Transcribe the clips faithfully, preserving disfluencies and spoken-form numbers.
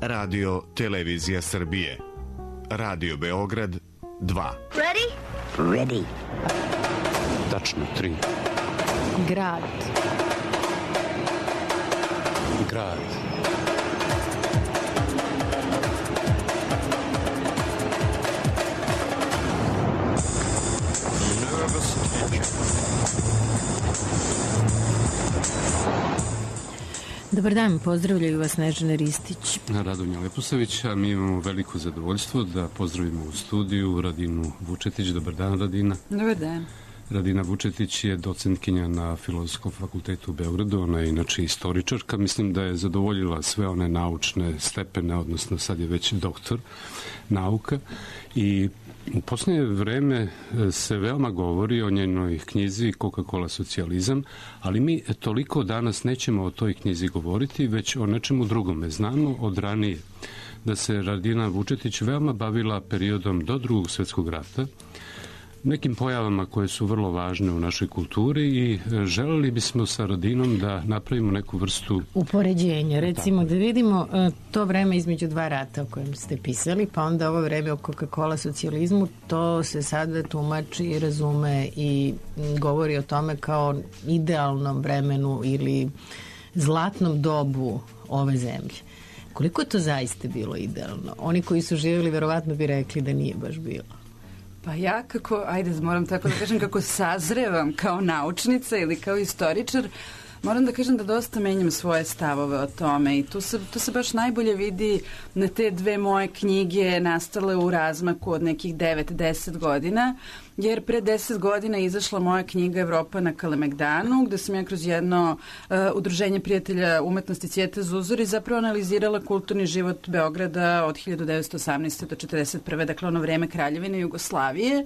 Radio Televizija Srbije. Radio Beograd dva. Ready? Ready. Tačno tri. Grad. Grad. Nervous tension. Dobar dan, pozdravljaju vas Snežana Ristić. Radonja Leposavić, a mi imamo veliko zadovoljstvo da pozdravimo u studiju Radinu Vučetić. Dobar dan, Radina. Dobar dan. Radina Vučetić je docentkinja na Filozofskom fakultetu u Beogradu, ona je inače istoričarka. Mislim da je zadovoljila sve one naučne stepene, odnosno sad je već doktor nauka i u posljednje vreme se veoma govori o njenoj knjizi Coca-Cola socijalizam, ali mi toliko danas nećemo o toj knjizi govoriti, već o nečemu drugome. Znamo od ranije da se Radina Vučetić veoma bavila periodom do Drugog svjetskog rata, nekim pojavama koje su vrlo važne u našoj kulturi i želeli bismo sa Radinom da napravimo neku vrstu upoređenja, recimo da vidimo to vreme između dva rata o kojem ste pisali, pa onda ovo vreme o Coca-Cola socijalizmu, to se sada tumači i razume i govori o tome kao idealnom vremenu ili zlatnom dobu ove zemlje. Koliko je to zaista bilo idealno? Oni koji su živjeli verovatno bi rekli da nije baš bilo. Pa ja kako, ajde moram tako da kažem, kako sazrevam kao naučnica ili kao istoričar, moram da kažem da dosta menjam svoje stavove o tome i tu se, to se baš najbolje vidi na te dve moje knjige nastale u razmaku od nekih devet do deset godina, jer pre deset godina je izašla moja knjiga Evropa na Kalemegdanu, gde sam ja kroz jedno uh, udruženje prijatelja umetnosti Cvijeta Zuzori zapravo analizirala kulturni život Beograda od hiljadu devetsto osamnaeste do četrdeset prve, dakle ono vreme Kraljevine Jugoslavije.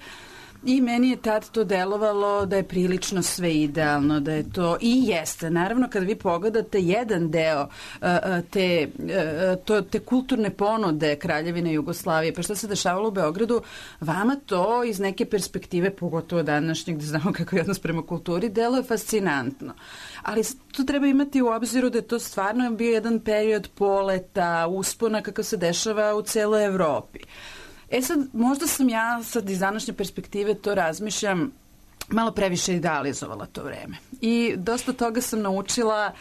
I meni je tad to delovalo da je prilično sve idealno, da je to i jeste. Naravno, kada vi pogledate jedan deo uh, te, uh, to, te kulturne ponude Kraljevine Jugoslavije, pa što se dešavalo u Beogradu, vama to iz neke perspektive, pogotovo današnjeg, gde znamo kako je odnos prema kulturi, delo je fascinantno. Ali tu treba imati u obziru da je to stvarno bio jedan period poleta, uspona kakav se dešava u celoj Evropi. E sad, možda sam ja sad iz današnje perspektive to razmišljam, malo previše idealizovala to vreme. I dosta toga sam naučila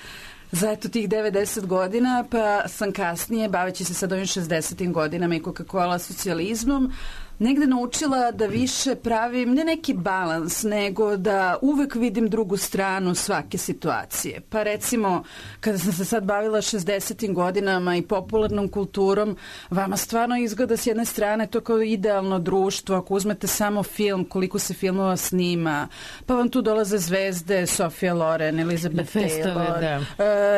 za eto tih devedeset godina, pa sam kasnije, baveći se sad ovim šezdesetim godinama i Coca-Cola socijalizmom, negde naučila da više pravim ne neki balans, nego da uvek vidim drugu stranu svake situacije. Pa recimo, kada sam se sad bavila šezdesetim godinama i popularnom kulturom, vama stvarno izgleda s jedne strane to kao idealno društvo, ako uzmete samo film, koliko se filmova snima, pa vam tu dolaze zvezde, Sofia Loren, Elizabeth Taylor, da. uh,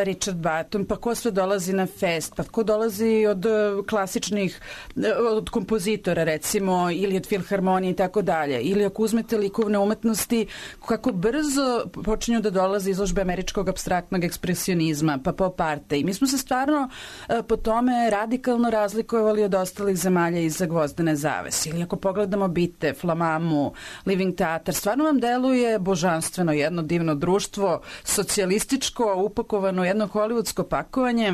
Richard Burton, pa ko sve dolazi na fest, pa ko dolazi od uh, klasičnih, uh, od kompozitora recimo, ili od filharmonije i tako dalje. Ili ako uzmete likovne umetnosti, kako brzo počinju da dolaze izložbe američkog apstraktnog ekspresionizma, pa pop arte. I mi smo se stvarno uh, po tome radikalno razlikovali od ostalih zemalja iza gvozdene zavese. Ili ako pogledamo Bite, Flamamu, Living Theater, stvarno vam deluje božanstveno jedno divno društvo, socijalističko, upakovano jedno hollywoodsko pakovanje,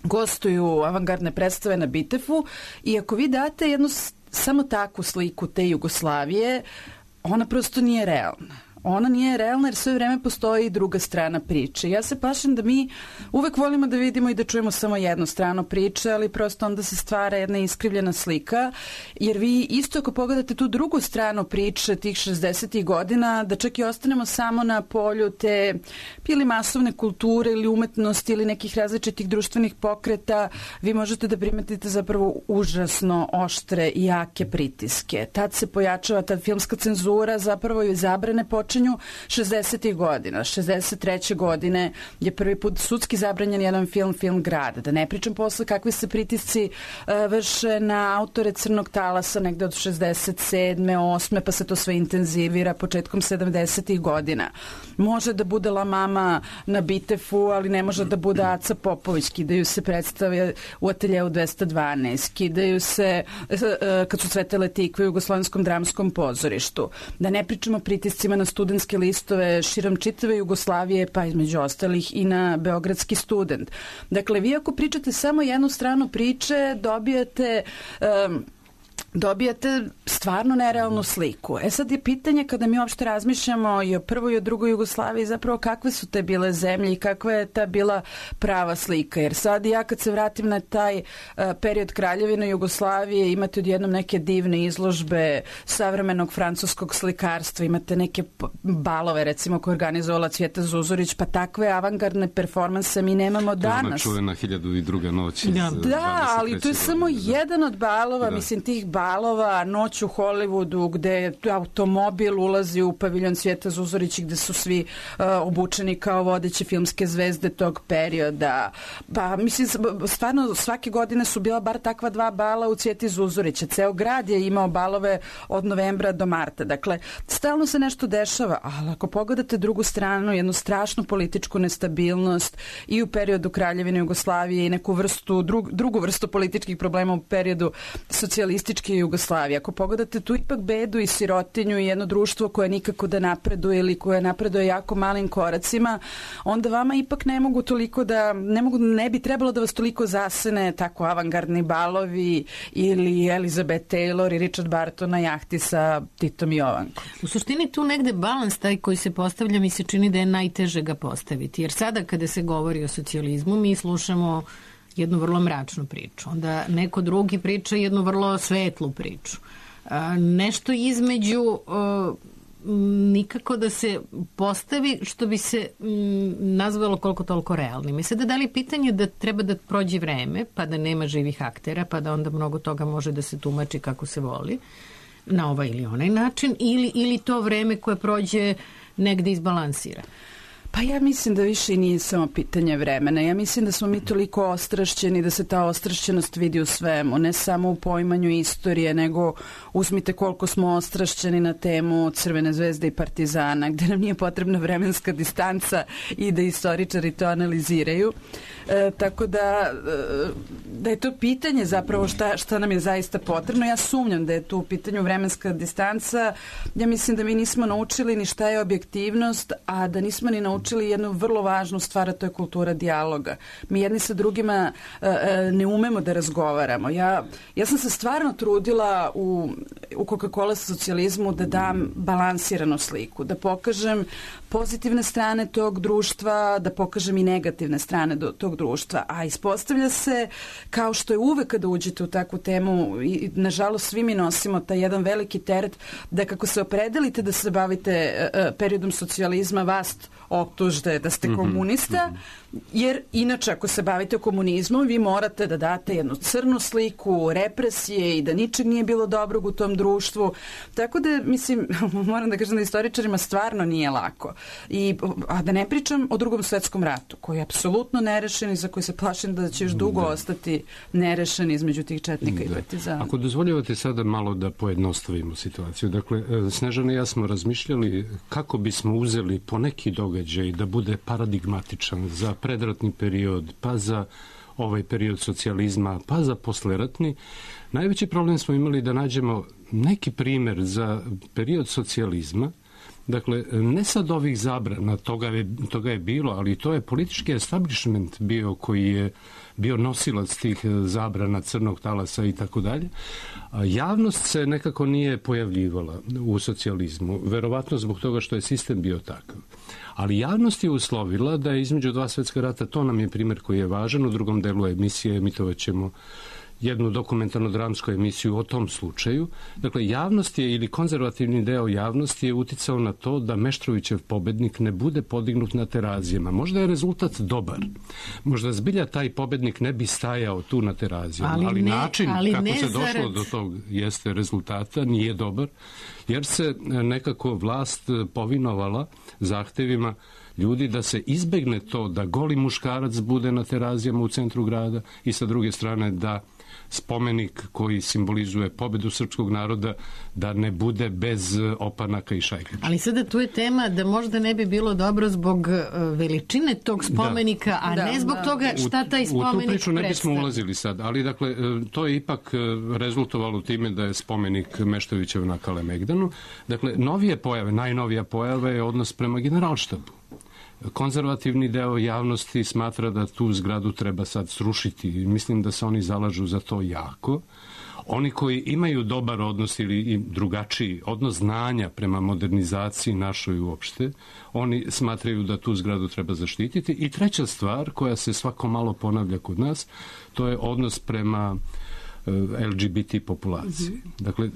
gostuju avangardne predstave na Bitefu i ako vi date jednu samo takvu sliku te Jugoslavije, ona prosto nije realna. Ona nije realna jer sve vreme postoji druga strana priče. Ja se plašim da mi uvek volimo da vidimo i da čujemo samo jednu stranu priče, ali prosto onda se stvara jedna iskrivljena slika, jer vi isto ako pogledate tu drugu stranu priče tih šezdesetih godina, da čak i ostanemo samo na polju te ili masovne kulture ili umetnosti ili nekih različitih društvenih pokreta, vi možete da primetite zapravo užasno oštre i jake pritiske. Tad se pojačava ta filmska cenzura, zapravo i zabrane počinju šezdesetih godina. šezdeset treće godine je prvi put sudski zabranjen jedan film, film Grad. Da ne pričam posle kakvi se pritisci uh, vrše na autore Crnog talasa negde od šezdeset sedme, osme pa se to sve intenzivira početkom sedamdesetih godina. Može da bude La Mama na Bitefu, ali ne može da bude Aca Popović. Kidaju se predstave u Ateljeu dvesta dvanaest, kidaju se uh, kad su cvetele tikve u Jugoslovenskom dramskom pozorištu. Da ne pričamo o pritiscima na studiju studentske listove širom čitave Jugoslavije, pa između ostalih i na Beogradski student. Dakle, vi ako pričate samo jednu stranu priče, dobijate... Um, dobijate stvarno nerealnu sliku. E sad je pitanje kada mi uopšte razmišljamo i o prvoj i o drugoj Jugoslaviji, zapravo kakve su te bile zemlje i kakva je ta bila prava slika. Jer sad ja kad se vratim na taj uh, period Kraljevine Jugoslavije, imate odjednom neke divne izložbe savremenog francuskog slikarstva, imate neke balove recimo koje organizovala Cvjeta Zuzorić, pa takve avangardne performanse mi nemamo danas. Ona čuvena hiljadu i druga noć. Da, da ali to je samo jedan od balova, da. Mislim tih balova balova, Noć u Hollywoodu, gde automobil ulazi u paviljon Cvjeta Zuzorić, gde su svi uh, obučeni kao vodeće filmske zvezde tog perioda. Pa, mislim, stvarno svake godine su bila bar takva dva bala u Cvjeti Zuzorića. Ceo grad je imao balove od novembra do marta. Dakle, stalno se nešto dešava, ali ako pogledate drugu stranu, jednu strašnu političku nestabilnost i u periodu Kraljevine Jugoslavije i neku vrstu, drug, drugu vrstu političkih problema u periodu socijalističke Jugoslavije. Ako pogledate tu ipak bedu i sirotinju i jedno društvo koje nikako da napreduje ili koje napreduje jako malim koracima, onda vama ipak ne mogu toliko da, ne mogu, ne bi trebalo da vas toliko zasene tako avangardni balovi ili Elizabeth Taylor i Richard Barton na jahti sa Titom i Jovankom. U suštini tu negde balans taj koji se postavlja mi se čini da je najteže ga postaviti. Jer sada kada se govori o socijalizmu mi slušamo jednu vrlo mračnu priču. Onda neko drugi priča jednu vrlo svetlu priču. A, nešto između a, nikako da se postavi što bi se m, nazvalo koliko toliko realnim. I sada da li pitanje da treba da prođe vreme, pa da nema živih aktera, pa da onda mnogo toga može da se tumači kako se voli, na ovaj ili onaj način, ili, ili to vreme koje prođe negde izbalansira. Pa ja mislim da više i nije samo pitanje vremena. Ja mislim da smo mi toliko ostrašćeni, da se ta ostrašćenost vidi u svemu, ne samo u poimanju istorije, nego uzmite koliko smo ostrašćeni na temu Crvene zvezde i Partizana, gde nam nije potrebna vremenska distanca i da istoričari to analiziraju. E, tako da, da je to pitanje zapravo šta, šta nam je zaista potrebno. Ja sumnjam da je tu u pitanju vremenska distanca. Ja mislim da mi nismo naučili ni šta je objektivnost, a da nismo ni naučili učili jednu vrlo važnu stvar, a to je kultura dijaloga. Mi jedni sa drugima uh, ne umemo da razgovaramo. Ja, ja sam se stvarno trudila u, u Coca-Cola socijalizmu da dam balansiranu sliku, da pokažem pozitivne strane tog društva, da pokažem i negativne strane do, tog društva. A ispostavlja se, kao što je uvek kada uđete u takvu temu, i nažalost svi mi nosimo taj jedan veliki teret, da kako se opredelite da se bavite uh, periodom socijalizma, vas optužde da ste komunista, mm-hmm. jer inače ako se bavite komunizmom vi morate da date jednu crnu sliku represije i da ničeg nije bilo dobrog u tom društvu. Tako da, mislim, moram da kažem da istoričarima stvarno nije lako. I, a da ne pričam o Drugom svetskom ratu, koji je apsolutno nerešen i za koji se plašim da će još dugo da. ostati nerešen između tih četnika da. i partizana. Ako dozvoljavate sada malo da pojednostavimo situaciju. Dakle, Snežana i ja smo razmišljali kako bismo uzeli po neki događaj da bude paradigmatičan za predratni period, pa za ovaj period socijalizma, pa za posleratni. Najveći problem smo imali da nađemo neki primer za period socijalizma. Dakle, ne sad ovih zabrana, toga je, toga je bilo, ali to je politički establishment bio koji je bio nosilac tih zabrana, crnog talasa i tako dalje. Javnost se nekako nije pojavljivala u socijalizmu, verovatno zbog toga što je sistem bio takav. Ali javnost je uslovila da je između dva svetska rata, to nam je primjer koji je važan, u drugom delu emisije emitovat ćemo jednu dokumentarno-dramsku emisiju o tom slučaju. Dakle, javnost je, ili konzervativni deo javnosti je uticao na to da Meštrovićev pobednik ne bude podignut na Terazijama. Možda je rezultat dobar. Možda zbilja taj pobednik ne bi stajao tu na Terazijama, ali, ali ne, način ali kako se došlo zarad... do tog jeste rezultata nije dobar, jer se nekako vlast povinovala zahtevima ljudi da se izbegne to da goli muškarac bude na Terazijama u centru grada i sa druge strane da spomenik koji simbolizuje pobedu srpskog naroda da ne bude bez opanaka i šajkača. Ali sada tu je tema da možda ne bi bilo dobro zbog veličine tog spomenika, da. a da, ne zbog da. toga šta taj spomenik predstavlja. U tu priču ne bismo predstavlja. ulazili sad, ali dakle, to je ipak rezultovalo time da je spomenik Meštrovićev na Kalemegdanu. Dakle, novije pojave, najnovija pojava je odnos prema Generalštabu. Konzervativni deo javnosti smatra da tu zgradu treba sad srušiti. Mislim da se oni zalažu za to jako. Oni koji imaju dobar odnos ili drugačiji odnos znanja prema modernizaciji našoj uopšte, oni smatraju da tu zgradu treba zaštititi. I treća stvar koja se svako malo ponavlja kod nas, to je odnos prema el ge be te populacije. Mm-hmm. Dakle,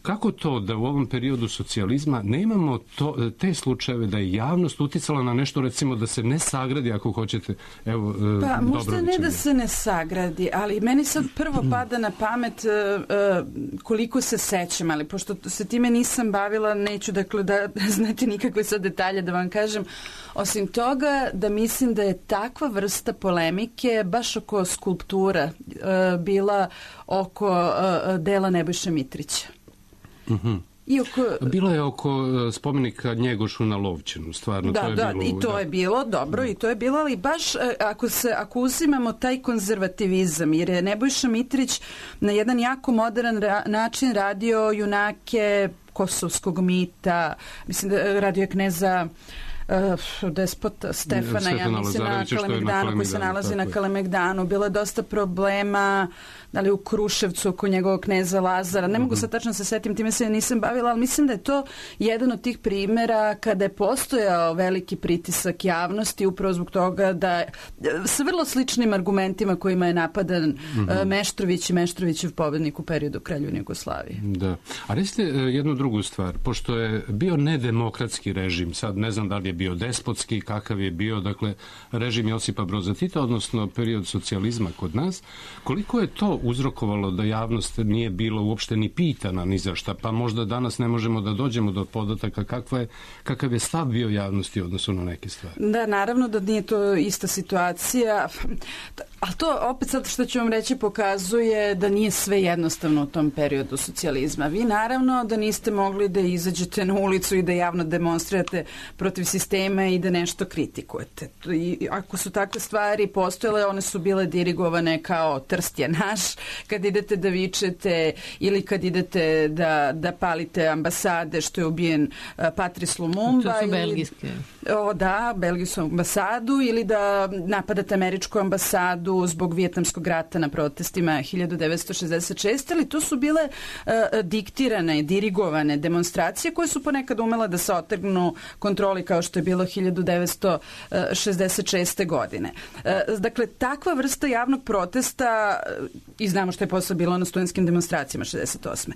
kako to da u ovom periodu socijalizma ne imamo to, te slučajeve da je javnost uticala na nešto, recimo da se ne sagradi, ako hoćete, evo, pa možda ne da se ne sagradi, ali meni sad prvo pada na pamet uh, koliko se sećam, ali pošto se time nisam bavila, neću dakle da znate nikakve sad detalje da vam kažem, osim toga da mislim da je takva vrsta polemike baš oko skulptura uh, bila oko uh, dela Nebojše Mitrića. Mhm. I oko... Bilo je oko spomenika Njegošu na Lovćenu, stvarno. Da, to je da, bilo, i to da. je bilo, dobro, da. i to je bilo, ali baš ako, se, ako uzimamo taj konzervativizam, jer je Nebojša Mitrić na jedan jako modern ra- način radio junake kosovskog mita, mislim da radio je kneza Uh, despota Stefana, Stefana ja mislim na Kalemegdanu, koji se nalazi na Kalemegdanu. Bilo je dosta problema, da li u Kruševcu oko njegovog kneza Lazara. Ne mogu sad tačno se setim, time se nisam bavila, ali mislim da je to jedan od tih primera kada je postojao veliki pritisak javnosti upravo zbog toga da sa vrlo sličnim argumentima kojima je napadan mm-hmm. Meštrović i Meštrovićev pobednik u periodu Kraljevine Jugoslavije. Da. A recite jednu drugu stvar, pošto je bio nedemokratski režim, sad ne znam da li je bio despotski, kakav je bio, dakle, režim Josipa Broza Tita, odnosno period socijalizma kod nas, koliko je to uzrokovalo da javnost nije bila uopšte ni pitana ni za šta, pa možda danas ne možemo da dođemo do podataka kakva je, kakav je stav bio javnosti u odnosu na neke stvari. Da, naravno da nije to ista situacija, ali to opet sad što ću vam reći pokazuje da nije sve jednostavno u tom periodu socijalizma. Vi naravno da niste mogli da izađete na ulicu i da javno demonstrirate protiv sistema i da nešto kritikujete. I ako su takve stvari postojale, one su bile dirigovane kao Trst je naš, kad idete da vičete ili kad idete da, da palite ambasade što je ubijen uh, Patrice Lumumba. To su ili, belgijske. O, da, belgijsku ambasadu ili da napadate američku ambasadu zbog vijetnamskog rata na protestima hiljadu devetsto šezdeset šeste. Ali to su bile uh, diktirane, dirigovane demonstracije koje su ponekad umela da se otrgnu kontroli kao što je bilo hiljadu devetsto šezdeset šeste. godine. Dakle, takva vrsta javnog protesta, i znamo što je posle bilo na studentskim demonstracijama šezdeset osme.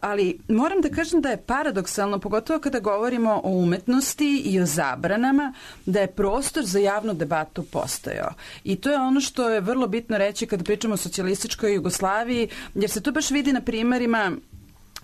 Ali moram da kažem da je paradoksalno, pogotovo kada govorimo o umetnosti i o zabranama, da je prostor za javnu debatu postojao. I to je ono što je vrlo bitno reći kada pričamo o socijalističkoj Jugoslaviji, jer se to baš vidi na primerima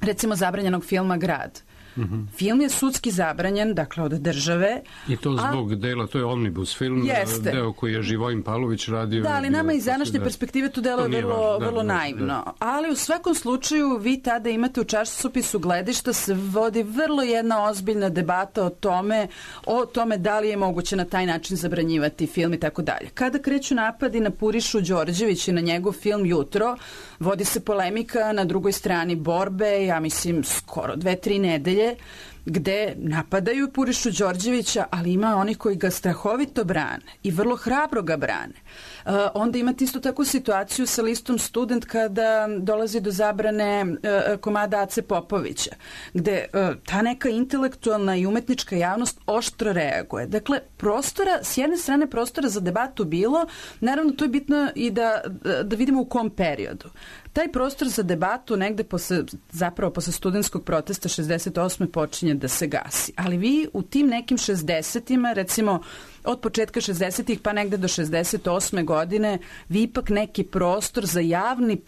recimo zabranjenog filma Grad. Mm-hmm. Film je sudski zabranjen, dakle od države. I to zbog a, dela, to je omnibus film, jeste. Deo koji je Živojin Pavlović radio. Da, ali nama iz današnje perspektive to delo je vrlo, da, vrlo da, naivno. Da. Ali u svakom slučaju vi tada imate u časopisu Gledišta se vodi vrlo jedna ozbiljna debata o tome, o tome da li je moguće na taj način zabranjivati film i tako dalje. Kada kreću napadi na Purišu Đorđević i na njegov film Jutro, vodi se polemika na drugoj strani borbe, ja mislim skoro dve, tri nedelje, gde napadaju Purišu Đorđevića, ali ima oni koji ga strahovito brane i vrlo hrabro ga brane. Uh, onda imate isto takvu situaciju sa listom Student kada dolazi do zabrane uh, komada Ace Popovića, gde uh, ta neka intelektualna i umetnička javnost oštro reaguje. Dakle, prostora, s jedne strane prostora za debatu bilo, naravno to je bitno i da, da vidimo u kom periodu. Taj prostor za debatu negde posle, zapravo posle studentskog protesta šezdeset osme počinje da se gasi. Ali vi u tim nekim šezdesetima, recimo od početka šezdesetih pa negde do šezdeset osme godine vi ipak neki prostor za javni,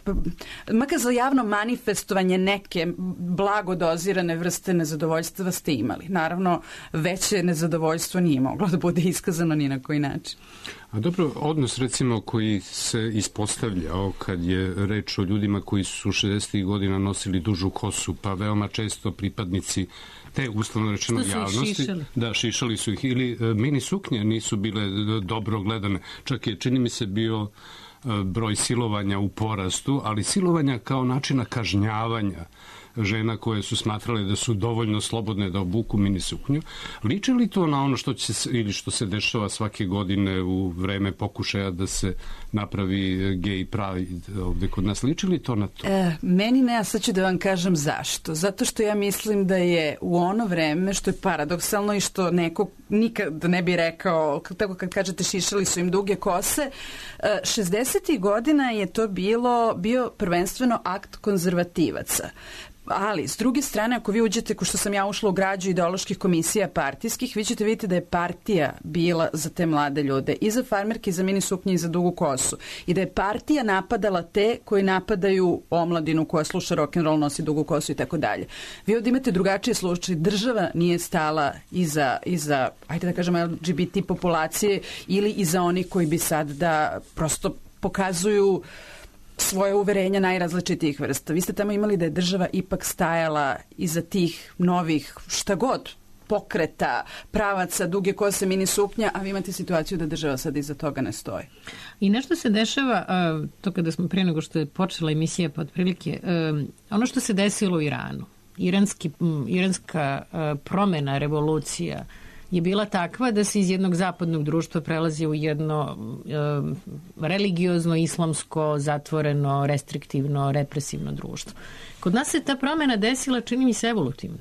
makar za javno manifestovanje neke blago dozirane vrste nezadovoljstva ste imali. Naravno, veće nezadovoljstvo nije moglo da bude iskazano ni na koji način. A dobro, odnos recimo koji se ispostavljao kad je reč o ljudima koji su šezdesetih godina nosili dužu kosu, pa veoma često pripadnici te uslovno rečeno javnosti. Šišali? Da, šišali su ih. Ili e, mini suknje nisu bile dobro gledane. Čak je, čini mi se, bio e, broj silovanja u porastu, ali silovanja kao načina kažnjavanja žena koje su smatrale da su dovoljno slobodne da obuku mini suknju. Liči li to na ono što će se, ili što se dešava svake godine u vreme pokušaja da se napravi gay pride ovde kod nas? Liči li to na to? E, meni ne, a sad ću da vam kažem zašto. Zato što ja mislim da je u ono vreme, što je paradoksalno i što neko nikad ne bi rekao, tako kad kažete šišali su im duge kose, šezdesetih godina je to bilo, bio prvenstveno akt konzervativaca. Ali, s druge strane, ako vi uđete, ko što sam ja ušla u građu ideoloških komisija partijskih, vi ćete vidjeti da je partija bila za te mlade ljude, i za farmerke, i za mini suknje, i za dugu kosu. I da je partija napadala te koji napadaju omladinu koja sluša rock'n'roll, nosi dugu kosu i tako dalje. Vi ovdje imate drugačije slučaje. Država nije stala iza, iza, ajde da kažemo, L G B T populacije ili iza onih koji bi sad da prosto pokazuju svoje uverenja najrazličitijih vrsta. Vi ste tamo imali da je država ipak stajala iza tih novih šta god pokreta, pravaca, duge kose, mini suknja, a vi imate situaciju da država sad iza toga ne stoji. I nešto se dešava, to kada smo prije nego što je počela emisija, pa otprilike, ono što se desilo u Iranu, iranski, iranska promena, revolucija, je bila takva da se iz jednog zapadnog društva prelazi u jedno e, religiozno, islamsko, zatvoreno, restriktivno, represivno društvo. Kod nas se ta promena desila, čini mi se, evolutivno.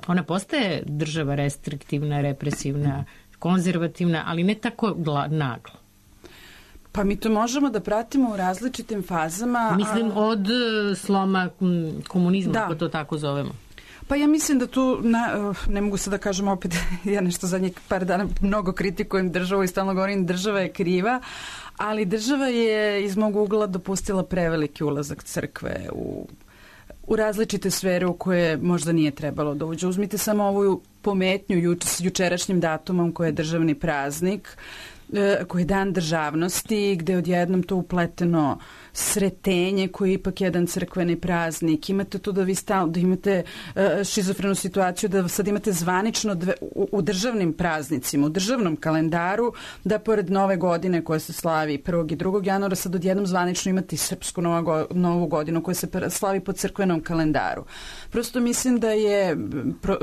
Ona postaje država restriktivna, represivna, konzervativna, ali ne tako gla, naglo. Pa mi to možemo da pratimo u različitim fazama. Mislim, od sloma komunizma, da, ako to tako zovemo. Pa ja mislim da tu, na, ne mogu se da kažem opet, ja nešto zadnjih par dana mnogo kritikujem državu i stalno govorim država je kriva, ali država je iz mog ugla dopustila preveliki ulazak crkve u, u različite sfere u koje možda nije trebalo da uđe. Uzmite samo ovu pometnju juč, s jučerašnjim datumom koji je državni praznik, koji je dan državnosti, gde je odjednom to upleteno Sretenje, koji je ipak jedan crkveni praznik. Imate tu da vi stalno, da imate uh, šizofrenu situaciju, da sad imate zvanično dve, u, u državnim praznicima, u državnom kalendaru, da pored nove godine koja se slavi prvog i drugog januara, sad odjednom zvanično imate i srpsku novu, novu godinu koja se slavi po crkvenom kalendaru. Prosto mislim da je pro,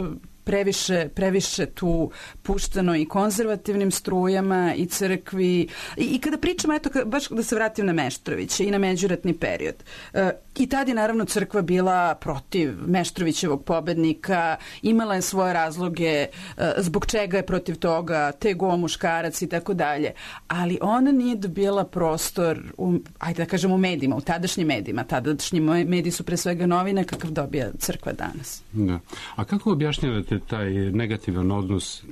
previše, previše tu pušteno i konzervativnim strujama i crkvi. I, i kada pričamo, eto, baš da se vratim na Meštrovića i na međuratni period. E, I tad je naravno crkva bila protiv Meštrovićevog pobednika, imala je svoje razloge e, zbog čega je protiv toga, tego muškarac i tako dalje. Ali ona nije dobila prostor, u, ajde da kažem, u medijima, u tadašnjim medijima. Tadašnji mediji su pre svega novine, kakav dobija crkva danas. Da. A kako objašnjavate taj negativan odnos,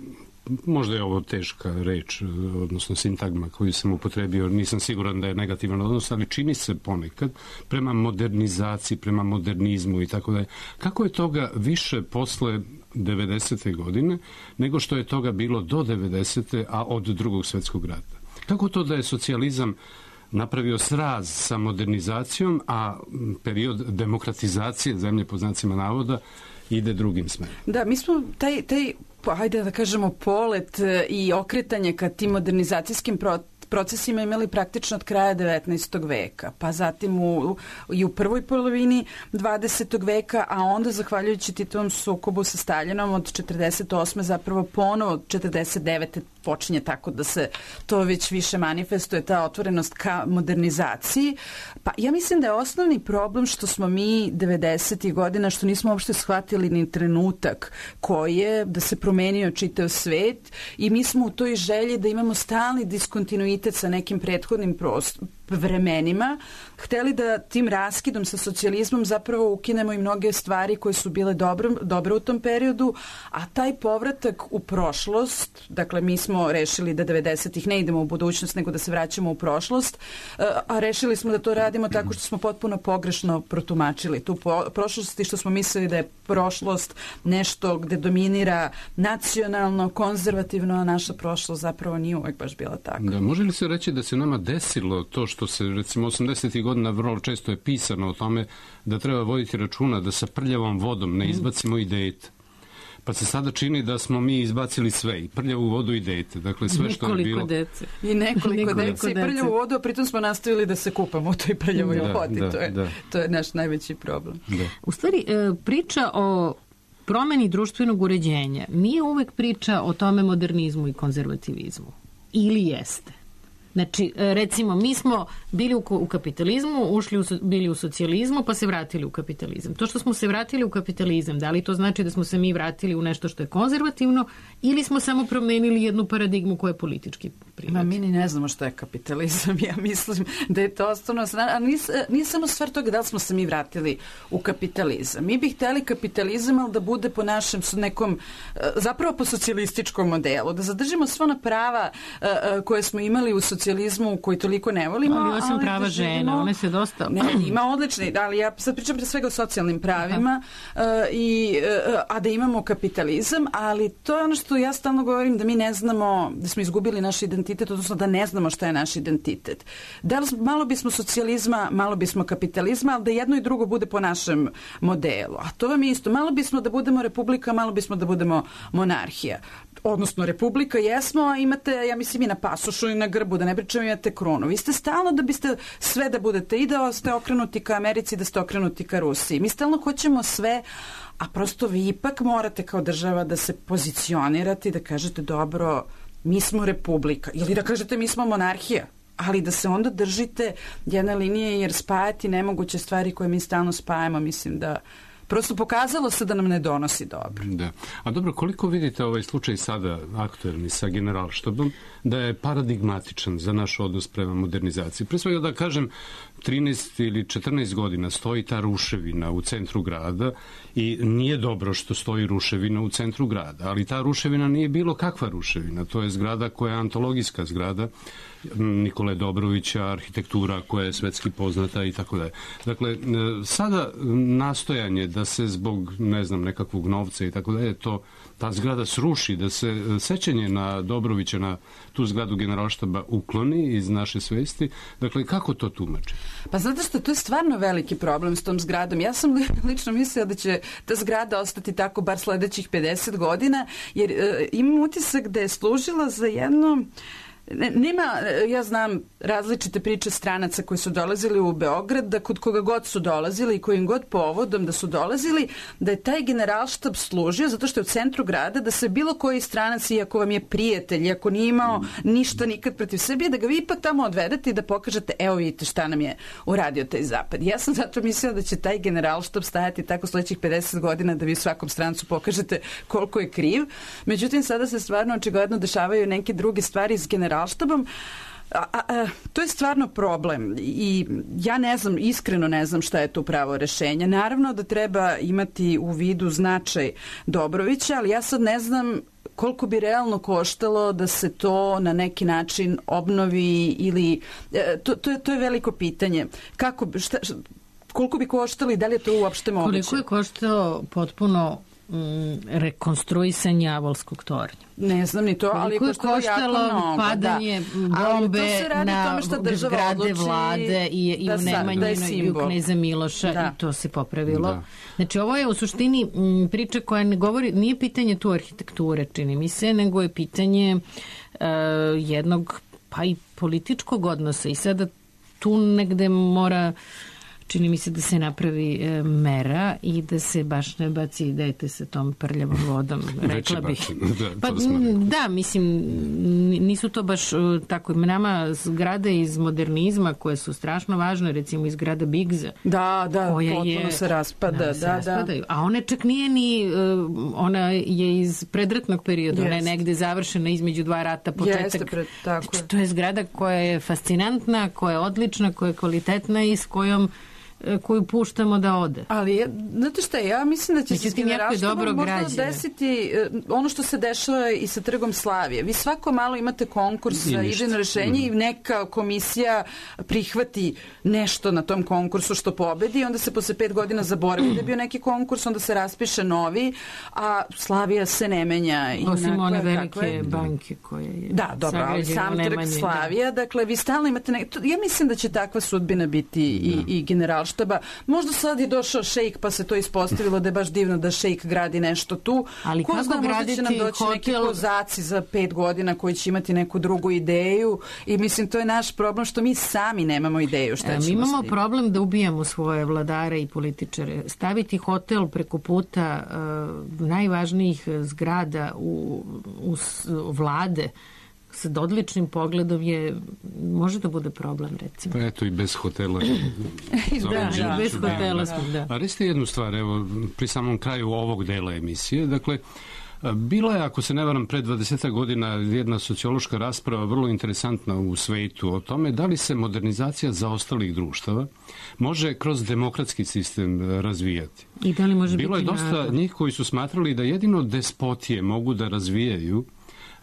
možda je ovo teška reč, odnosno sintagma koju sam upotrebio, nisam siguran da je negativan odnos, ali čini se ponekad prema modernizaciji, prema modernizmu i tako dalje. Kako je toga više posle devedesete godine nego što je toga bilo do devedesete, a od drugog svetskog rata? Kako to da je socijalizam napravio sraz sa modernizacijom, a period demokratizacije zemlje po znacima navoda ide drugim smerom? Da, mi smo taj, taj hajde da kažemo, polet i okretanje ka tim modernizacijskim procesima imali praktično od kraja devetnaestog veka, pa zatim u, i u prvoj polovini dvadesetog veka, a onda zahvaljujući Titovom sukobu sa Staljinom od četrdeset osme zapravo ponovo od četrdeset devete počinje tako da se to već više manifestuje, ta otvorenost ka modernizaciji. Pa ja mislim da je osnovni problem što smo mi devedesetih godina, što nismo uopšte shvatili ni trenutak koji je da se promenio čitav svet i mi smo u toj želji da imamo stalni diskontinuitet sa nekim prethodnim vremenima, hteli da tim raskidom sa socijalizmom zapravo ukinemo i mnoge stvari koje su bile dobro, dobre u tom periodu, a taj povratak u prošlost, dakle mi smo rešili da devedesetih ne idemo u budućnost, nego da se vraćamo u prošlost, a rešili smo da to radimo tako što smo potpuno pogrešno protumačili tu prošlost i što smo mislili da je prošlost nešto gde dominira nacionalno, konzervativno, a naša prošlost zapravo nije uvek baš bila tako. Da, može li se reći da se nama desilo to što se, recimo, osamdesetih godina vrlo često je pisano o tome da treba voditi računa da sa prljavom vodom ne izbacimo i dete. Pa se sada čini da smo mi izbacili sve, i prljavu vodu i dete. Dakle, sve što je bilo... Dece. I nekoliko, nekoliko dece i prljavu vodu, a pritom smo nastavili da se kupamo u toj prljavoj da, vodi. Da, to, je, da. to je naš najveći problem. Da. U stvari, priča o promeni društvenog uređenja nije uvek priča o tome modernizmu i konzervativizmu. Ili jeste? Znači, recimo, mi smo bili u, u kapitalizmu, ušli u, bili u socijalizmu, pa se vratili u kapitalizam. To što smo se vratili u kapitalizam, da li to znači da smo se mi vratili u nešto što je konzervativno ili smo samo promenili jednu paradigmu koja je politički prirod? Ma mi ni ne znamo što je kapitalizam. Ja mislim da je to osnovno... A nije, nije samo stvar toga da li smo se mi vratili u kapitalizam. Mi bi hteli kapitalizam, ali da bude po našem nekom, zapravo po socijalističkom modelu, da zadržimo sva ona prava koje smo imali u socijalizmu, koji toliko ne volimo. Ali osim ali prava žena, one se dosta... Ne, ima odlični, ali ja sad pričam pre svega o socijalnim pravima, uh, i, uh, a da imamo kapitalizam, ali to je ono što ja stalno govorim, da mi ne znamo, da smo izgubili naš identitet, odnosno da ne znamo šta je naš identitet. Da li, malo bismo socijalizma, malo bismo kapitalizma, ali da jedno i drugo bude po našem modelu. A to vam je isto. Malo bismo da budemo republika, malo bismo da budemo monarhija. Odnosno republika jesmo, a imate, ja mislim, i na pasošu i na grbu, da ne pričam, imate krunu. Vi ste stalno da biste sve da budete i da ste okrenuti ka Americi, da ste okrenuti ka Rusiji. Mi stalno hoćemo sve, a prosto vi ipak morate kao država da se pozicionirate i da kažete dobro, mi smo republika. Ili da kažete mi smo monarhija. Ali da se onda držite jedne linije, jer spajati nemoguće stvari koje mi stalno spajamo, mislim da prosto pokazalo se da nam ne donosi dobro. Da. A dobro, koliko vidite ovaj slučaj sada aktuelni sa Generalštabom, da je paradigmatičan za naš odnos prema modernizaciji? Pre svega da kažem, trinaest ili četrnaest godina stoji ta ruševina u centru grada i nije dobro što stoji ruševina u centru grada, ali ta ruševina nije bilo kakva ruševina. To je zgrada koja je antologijska zgrada Nikole Dobrovića, arhitektura koja je svetski poznata i tako dalje. Dakle, sada nastojanje da se zbog, ne znam, nekakvog novca i tako dalje, to, ta zgrada sruši, da se sećanje na Dobrovića, na tu zgradu Generalštaba ukloni iz naše svesti. Dakle, kako to tumači? Pa zato što to je stvarno veliki problem s tom zgradom. Ja sam lično mislila da će ta zgrada ostati tako bar sledećih pedeset godina, jer e, imam utisak da je služila za jedno... Nema, ja znam različite priče stranaca koji su dolazili u Beograd, da kod koga god su dolazili i kojim god povodom da su dolazili, da je taj Generalštab služio zato što je u centru grada, da se bilo koji stranac, iako vam je prijatelj, iako nije imao ništa nikad protiv Srbije, da ga vi ipak tamo odvedete i da pokažete, evo vidite šta nam je uradio taj zapad. Ja sam zato mislila da će taj Generalštab stajati tako sledećih pedeset godina, da vi svakom strancu pokažete koliko je kriv. Međutim, sada se stvarno očigledno dešavaju neke druge stvari iz Generalštaba. Generalštabom, a, a, a, to je stvarno problem i ja ne znam, iskreno ne znam šta je tu pravo rešenje. Naravno da treba imati u vidu značaj Dobrovića, ali ja sad ne znam koliko bi realno koštalo da se to na neki način obnovi ili... To, to, je, to je veliko pitanje. Kako, šta, koliko bi koštalo i da li je to uopšte moguće? Koliko je koštao potpuno rekonstruisanje Avolskog tornja? Ne znam ni to, ali je koštalo jako mnogo. Padanje da. bombe na zgrade vlade i, i da u Nemanjinoj i u Kneza Miloša da. I to se popravilo. Da. Znači ovo je u suštini m, priča koja ne govori, nije pitanje tu arhitekture, čini mi se, nego je pitanje uh, jednog pa i političkog odnosa i sada tu negde mora čini mi se da se napravi e, mera i da se baš ne baci dete sa tom prljavom vodom, rekla bih. Da, pa, da, mislim, nisu to baš tako. Nama zgrade iz modernizma koje su strašno važne, recimo iz zgrada Bigza. Da, da, potpuno je, se raspada. Da, da, se da. raspadaju. A ona čak nije ni, ona je iz predratnog perioda, yes. Ona je negde završena između dva rata, početak. Jeste, pred, tako je. To je zgrada koja je fascinantna, koja je odlična, koja je kvalitetna i s kojom koju puštamo da ode. Ali, znate šta, ja mislim da će se s generalštvom možda desiti ono što se dešava i sa Trgom Slavije. Vi svako malo imate konkurs za idejno rešenje mm. i neka komisija prihvati nešto na tom konkursu što pobedi i onda se posle pet godina zaboravi da je bio neki konkurs, onda se raspiše novi, a Slavija se ne menja. Osim one velike je... banke koje je da, dobro, ali sam Trg Slavija, da. Dakle, vi stalno imate ne... ja mislim da će takva sudbina biti i, i generalštva. Možda sad je došao šejk pa se to ispostavilo da je baš divno da šejk gradi nešto tu. Ali ko kako zna, možda će nam doći hotel... neki kozaci za pet godina koji će imati neku drugu ideju i mislim to je naš problem što mi sami nemamo ideju šta e, ćemo. Mi imamo problem da ubijamo svoje vladare i političare. Staviti hotel preko puta uh, najvažnijih zgrada u, u, u vlade sa odličnim pogledom je, može da bude problem, recimo. Pa eto i bez hotela. da, da, bez hotela smo, da. A recite jednu stvar, evo, pri samom kraju ovog dela emisije, dakle, bila je, ako se ne varam, pre dvadeset godina jedna sociološka rasprava vrlo interesantna u svetu o tome da li se modernizacija zaostalih društava može kroz demokratski sistem razvijati. I da li može Bilo biti je dosta narod? njih koji su smatrali da jedino despotije mogu da razvijaju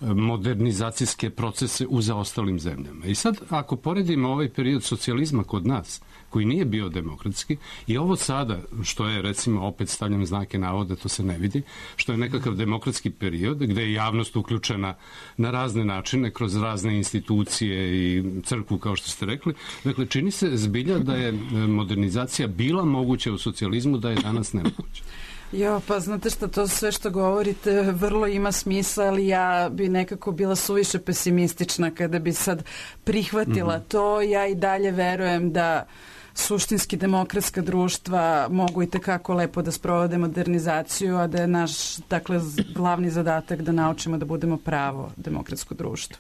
modernizacijske procese u zaostalim zemljama. I sad, ako poredimo ovaj period socijalizma kod nas, koji nije bio demokratski, i ovo sada, što je, recimo, opet stavljam znake navode, to se ne vidi, što je nekakav demokratski period, gde je javnost uključena na razne načine, kroz razne institucije i crkvu, kao što ste rekli. Dakle, čini se zbilja da je modernizacija bila moguća u socijalizmu, da je danas nemoguća. Jo, pa znate šta, to sve što govorite vrlo ima smisla, ali ja bi nekako bila suviše pesimistična kada bi sad prihvatila mm-hmm. to. Ja i dalje verujem da suštinski demokratska društva mogu i tekako lepo da sprovode modernizaciju, a da je naš, dakle, glavni zadatak da naučimo da budemo pravo demokratsko društvo.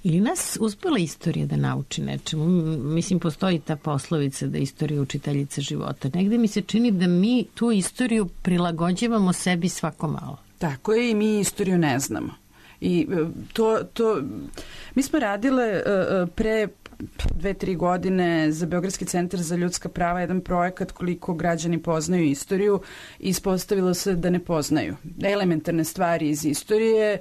Ili nas uspela istorija da nauči nečemu? Mislim, postoji ta poslovica da istorija je učiteljica života. Negde mi se čini da mi tu istoriju prilagođavamo sebi svako malo. Tako je, i mi istoriju ne znamo. I to, to mi smo radile pre dve, tri godine za Beogradski centar za ljudska prava jedan projekat koliko građani poznaju istoriju i ispostavilo se da ne poznaju elementarne stvari iz istorije.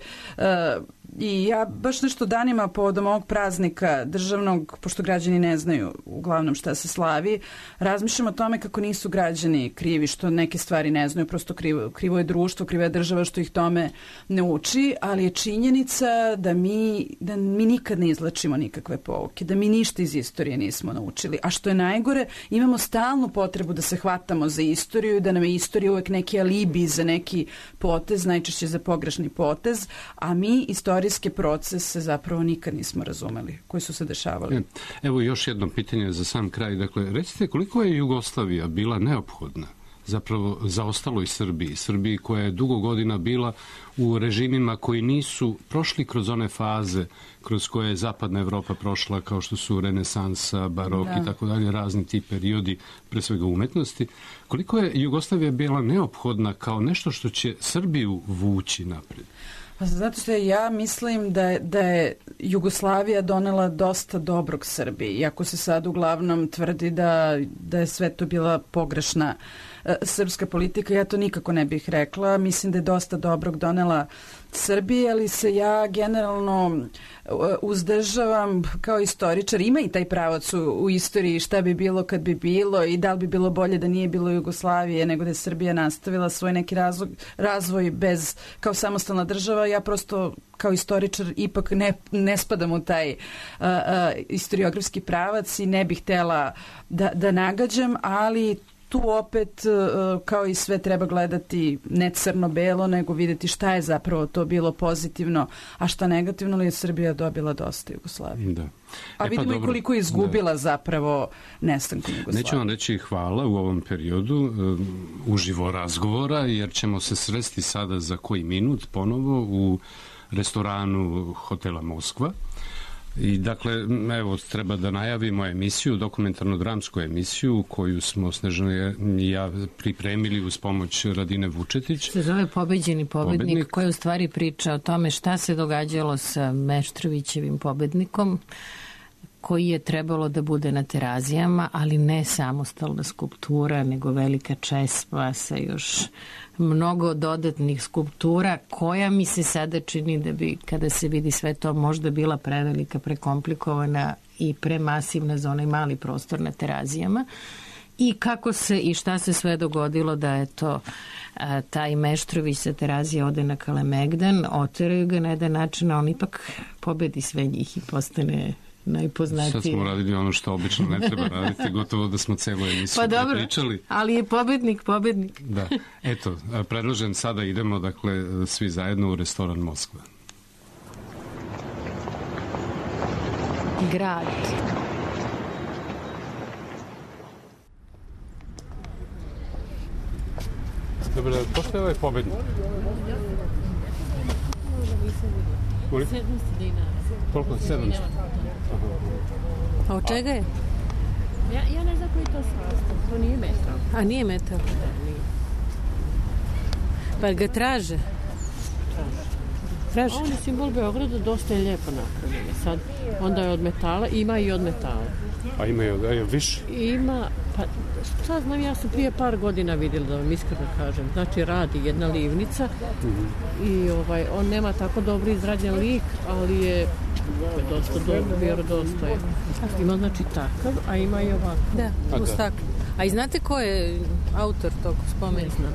I ja baš nešto danima povodom ovog praznika državnog, pošto građani ne znaju uglavnom šta se slavi, razmišljam o tome kako nisu građani krivi što neke stvari ne znaju, prosto krivo, krivo je društvo, kriva je država što ih tome ne uči, ali je činjenica da mi, da mi nikad ne izlačimo nikakve pouke, da mi ništa iz istorije nismo naučili. A što je najgore, imamo stalnu potrebu da se hvatamo za istoriju i da nam je istorija uvek neki alibi za neki potez, najčešće za pogrešni potez, a mi istoriju istorijske procese zapravo nikad nismo razumeli, koji su se dešavali. Evo još jedno pitanje za sam kraj. Dakle, recite koliko je Jugoslavija bila neophodna zapravo zaostaloj Srbiji, Srbiji koja je dugo godina bila u režimima koji nisu prošli kroz one faze kroz koje je zapadna Evropa prošla, kao što su renesansa, barok da. i tako dalje, razni ti periodi, pre svega umetnosti. Koliko je Jugoslavija bila neophodna kao nešto što će Srbiju vući napred? Pa zato što ja mislim da je, da je Jugoslavija donela dosta dobrog Srbiji, iako se sad uglavnom tvrdi da, da je sve to bila pogrešna e, srpska politika, ja to nikako ne bih rekla. Mislim da je dosta dobrog donela Srbije, ali se ja generalno uzdržavam kao istoričar. Ima i taj pravac u, u istoriji šta bi bilo kad bi bilo i da li bi bilo bolje da nije bilo Jugoslavije nego da je Srbija nastavila svoj neki razvoj, razvoj bez, kao samostalna država. Ja prosto kao istoričar ipak ne, ne spadam u taj uh, uh, istoriografski pravac i ne bih htela da, da nagađam, ali tu opet, kao i sve, treba gledati ne crno-belo, nego vidjeti šta je zapravo to bilo pozitivno, a šta negativno, ali je Srbija dobila dosta Jugoslavije. Da. A e vidimo pa, i koliko je izgubila da. zapravo nestankom Jugoslavije. Neću vam reći hvala u ovom periodu um, uživo razgovora, jer ćemo se sresti sada za koji minut ponovo u restoranu hotela Moskva. I dakle, evo, treba da najavimo emisiju, dokumentarno-dramsku emisiju koju smo Snežana i ja pripremili uz pomoć Radine Vučetić. Se zove Pobeđeni pobednik, pobednik, koja u stvari priča o tome šta se događalo sa Meštrovićevim pobednikom, koji je trebalo da bude na Terazijama, ali ne samostalna skulptura, nego velika česma sa još mnogo dodatnih skulptura, koja mi se sada čini da bi, kada se vidi sve to, možda bila prevelika, prekomplikovana i premasivna za onaj mali prostor na Terazijama. I kako se i šta se sve dogodilo da je to a, taj Meštrović sa Terazije ode na Kalemegdan, oteraju ga na jedan način, a on ipak pobedi sve njih i postane najpoznatiji. Sad smo radili ono što obično ne treba raditi, gotovo da smo celu emisiju pa dobro, pričali. Ali je pobednik, pobednik. Da, eto, predlažem sada idemo, dakle, svi zajedno u restoran Moskva. Grad. Dobro, pošto je ovaj pobednik? sedamsto dinara. Koliko? sedamsto? A od čega je? Ja, ja ne znam koji to sastav. To nije metal. A nije metal? Da, nije. Pa ga traže? Traže. On je simbol Beograda, dosta je lijepo napravljen. Sad, onda je od metala, ima i od metala. A ima i od, je više? Ima, pa šta znam, ja sam prije par godina vidjela, da vam iskreno kažem. Znači, radi jedna livnica mm-hmm. i ovaj, on nema tako dobro izrađen lik, ali je dosta dobro, vjerodostojan. Ima znači takav, a ima i ovako. Da, uz tako. A i znate ko je autor tog spomenika? Ne znam.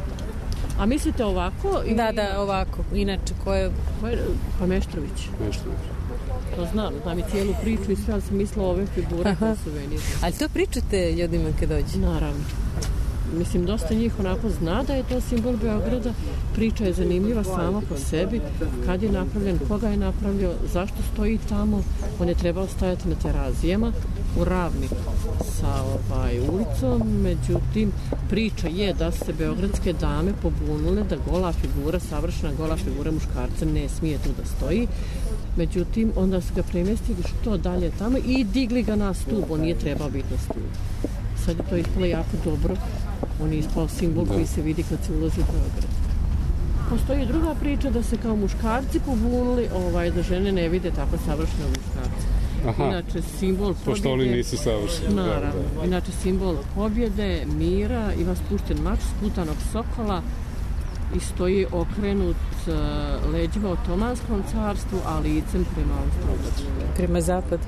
A mislite ovako? I... Da, da, ovako. Inače, ko je... Ko je pa Meštrović. Meštrović. To znam, znam i cijelu priču i sve, ali sam mislila ove figure koje su meni. Ali to pričate ljudima kad dođe? Naravno. Mislim, dosta njih onako zna da je to simbol Beograda. Priča je zanimljiva sama po sebi. Kad je napravljen, koga je napravio, zašto stoji tamo. On je trebao stajati na Terazijama u ravni sa ovaj, ulicom. Međutim, priča je da se beogradske dame pobunule da gola figura, savršena gola figura muškarca ne smije tu da stoji. Međutim, onda su ga premjestili što dalje tamo i digli ga na stup. On nije trebao biti na stup. Sad je to ispalo jako dobro. On je ispao simbol koji se vidi kad se ulazi u Beograd. Postoji i druga priča da se kao muškarci pobunili, ovaj, da žene ne vide tako savršene muškarce. Aha. Inače, simbol pobjede... Pošto oni nisu savršeni. Naravno. Da, da. Inače, simbol pobjede, mira, ima spušten mač sputanog sokola i stoji okrenut uh, leđima Otomanskom carstvu, a licem prema Austro-Ugarskoj. Prema zapadu.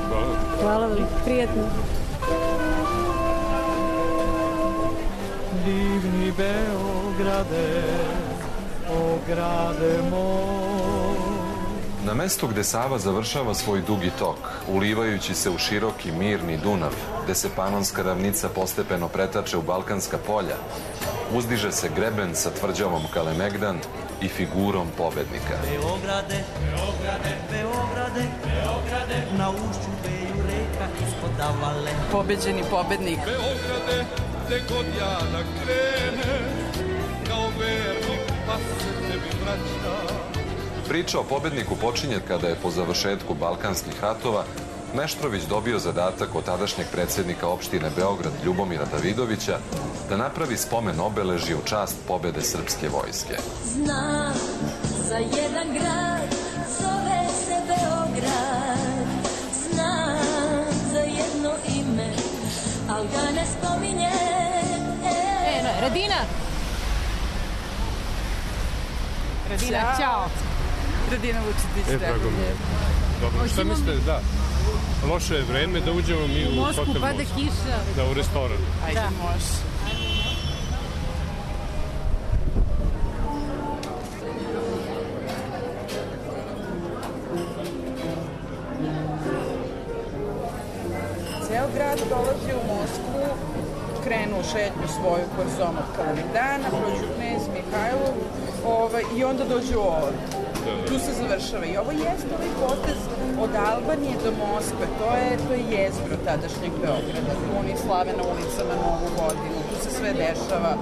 Hvala. Hvala vam, prijetno. Divni Beograde, o grade moj. Na mestu gde Sava završava svoj dugi tok, ulivajući se u široki, mirni Dunav, gde se Panonska ravnica postepeno pretače u Balkanska polja, uzdiže se greben sa tvrđavom Kalemegdan i figurom pobednika. Beograde, Beograde, Beograde, Beograde, na ušću beju reka ispod Davale. Pobeđeni pobednik. Beograde, gde god ja da krene, kao vernik, pa se tebi vraća. Priča o pobedniku počinje kada je po završetku Balkanskih ratova Meštrović dobio zadatak od tadašnjeg predsjednika opštine Beograd Ljubomira Davidovića da napravi spomen obeležje u čast pobede srpske vojske. Znam za jedan grad, zove se Beograd. Znam za jedno ime, al ga ne spominje. E, no, Radina! Radina, ćao! Radina Vučetić. E, drago mi je. Dobro, šta mislite, da, loše je vreme da uđemo mi u, u Moskvu, hotel pada Moskva. kiša. Da, u restoran. Ajde, da. može. Ceo grad dolazi u Moskvu, krenu u šetnju svoju korzom od Kalemegdana, prođu Knez Mihajlov ovaj, i onda dođu ovdje. Tu se završava. I ovo jeste ovaj potez od Albanije do Moskve. To je, to je jezgro tadašnjeg Beograda. Tu oni slave na ulicama Novu godinu. Tu se sve dešava.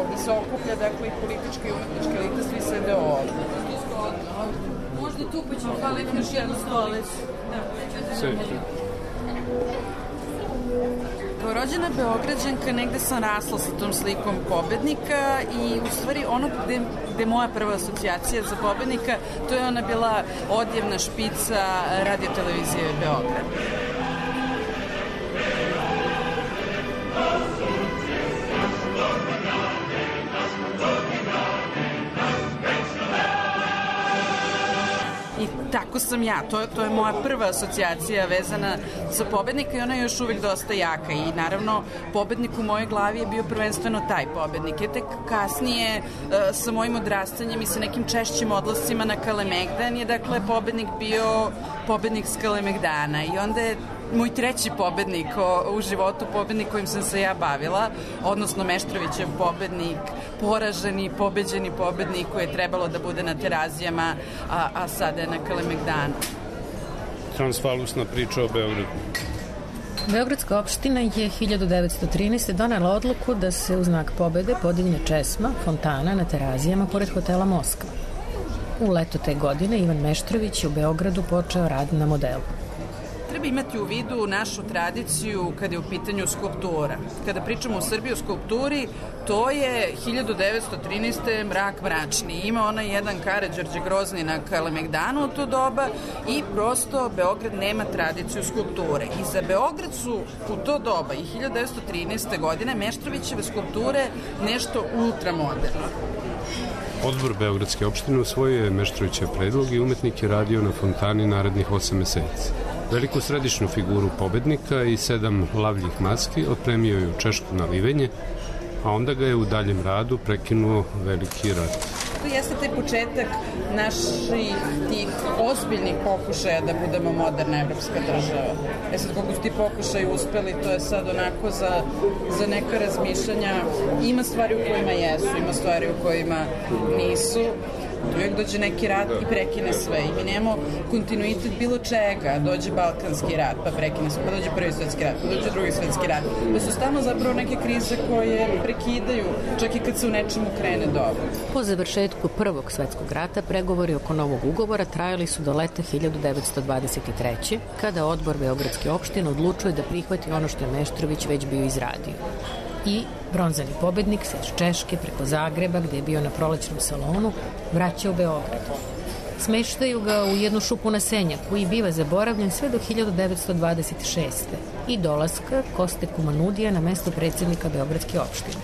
Ovdje se okuplja, dakle, i politička i umetnička elita, svi sede ovdje. Možda tu pa ćemo hvaliti još jednu stolicu. Sve. Kao rođena Beograđanka negde sam rasla sa tom slikom pobednika i u stvari ono gde, gde moja prva asocijacija za pobednika, to je ona bila odjevna špica radiotelevizije Beograd. I tako sam ja, to, to je moja prva asocijacija vezana za pobednika i ona je još uvijek dosta jaka i naravno pobednik u mojoj glavi je bio prvenstveno taj pobednik. Je tek kasnije sa mojim odrastanjem i sa nekim češćim odlascima na Kalemegdan je dakle pobednik bio pobednik s Kalemegdana i onda je moj treći pobednik o, u životu, pobednik kojim sam se ja bavila, odnosno Meštrovićev pobednik, poraženi, pobeđeni pobednik koji je trebalo da bude na Terazijama, a, a sada je na Kalemegdanu. Transfalusna priča o Beogradu. Beogradska opština je hiljadu devetsto trinaeste. donela odluku da se u znak pobede podigne česma, fontana na Terazijama pored hotela Moskva. U leto te godine Ivan Meštrović je u Beogradu počeo rad na modelu. Treba imati u vidu našu tradiciju kada je u pitanju skulptura. Kada pričamo u Srbiji o skulpturi, to je hiljadu devetsto trinaeste. mrak mračni. Ima onaj jedan Karađorđe Grozni na Kalemegdanu u to doba i prosto Beograd nema tradiciju skulpture. I za Beograd su u to doba i hiljadu devetsto trinaeste. godine Meštrovićeve skulpture nešto ultramoderno. Odbor Beogradske opštine usvojio je Meštrovićev predlog i umetnik je radio na fontani narednih osam meseci. Veliku središnju figuru pobednika i sedam lavljih maski otpremio je u češko nalivenje, a onda ga je u daljem radu prekinuo veliki rat. To jeste taj početak naših tih ozbiljnih pokušaja da budemo moderna evropska država. E sad, koliko su ti pokušaji uspeli, to je sad onako za, za neka razmišljanja. Ima stvari u kojima jesu, ima stvari u kojima nisu. Uvijek dođe neki rat i prekine sve i mi nemamo kontinuitet bilo čega. Dođe Balkanski rat pa prekine sve, pa dođe Prvi svetski rat, pa dođe Drugi svetski rat. To su stalno zapravo neke krize koje prekidaju čak i kad se u nečemu krene dobro. Po završetku Prvog svetskog rata pregovori oko novog ugovora trajali su do leta hiljadu devetsto dvadeset treće. kada odbor Beogradske opštine odlučuje da prihvati ono što je Meštrović već bio izradio. I bronzani pobednik se iz Češke preko Zagreba, gde je bio na prolećnom salonu, vraća u Beograd. Smeštaju ga u jednu šupu na Senjaku i biva zaboravljen sve do hiljadu devetsto dvadeset šeste. i dolaska Koste Kumanudija na mesto predsjednika Beogradske opštine.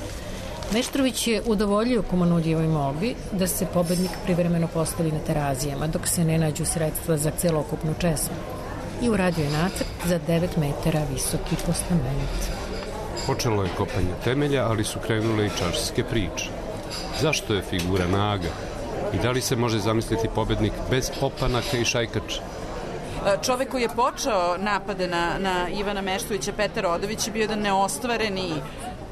Meštrović je udovoljio Kumanudijevoj molbi da se pobednik privremeno postavi na Terazijama dok se ne nađu sredstva za celokupnu česmu i uradio je nacrt za devet metara visoki postament. Počelo je kopanje temelja, ali su krenule i čaršijske priče. Zašto je figura naga? I da li se može zamisliti pobednik bez opanaka i šajkača? Čovek koji je počeo napade na, na Ivana Meštrovića, Petar Odović, je bio jedan neostvareni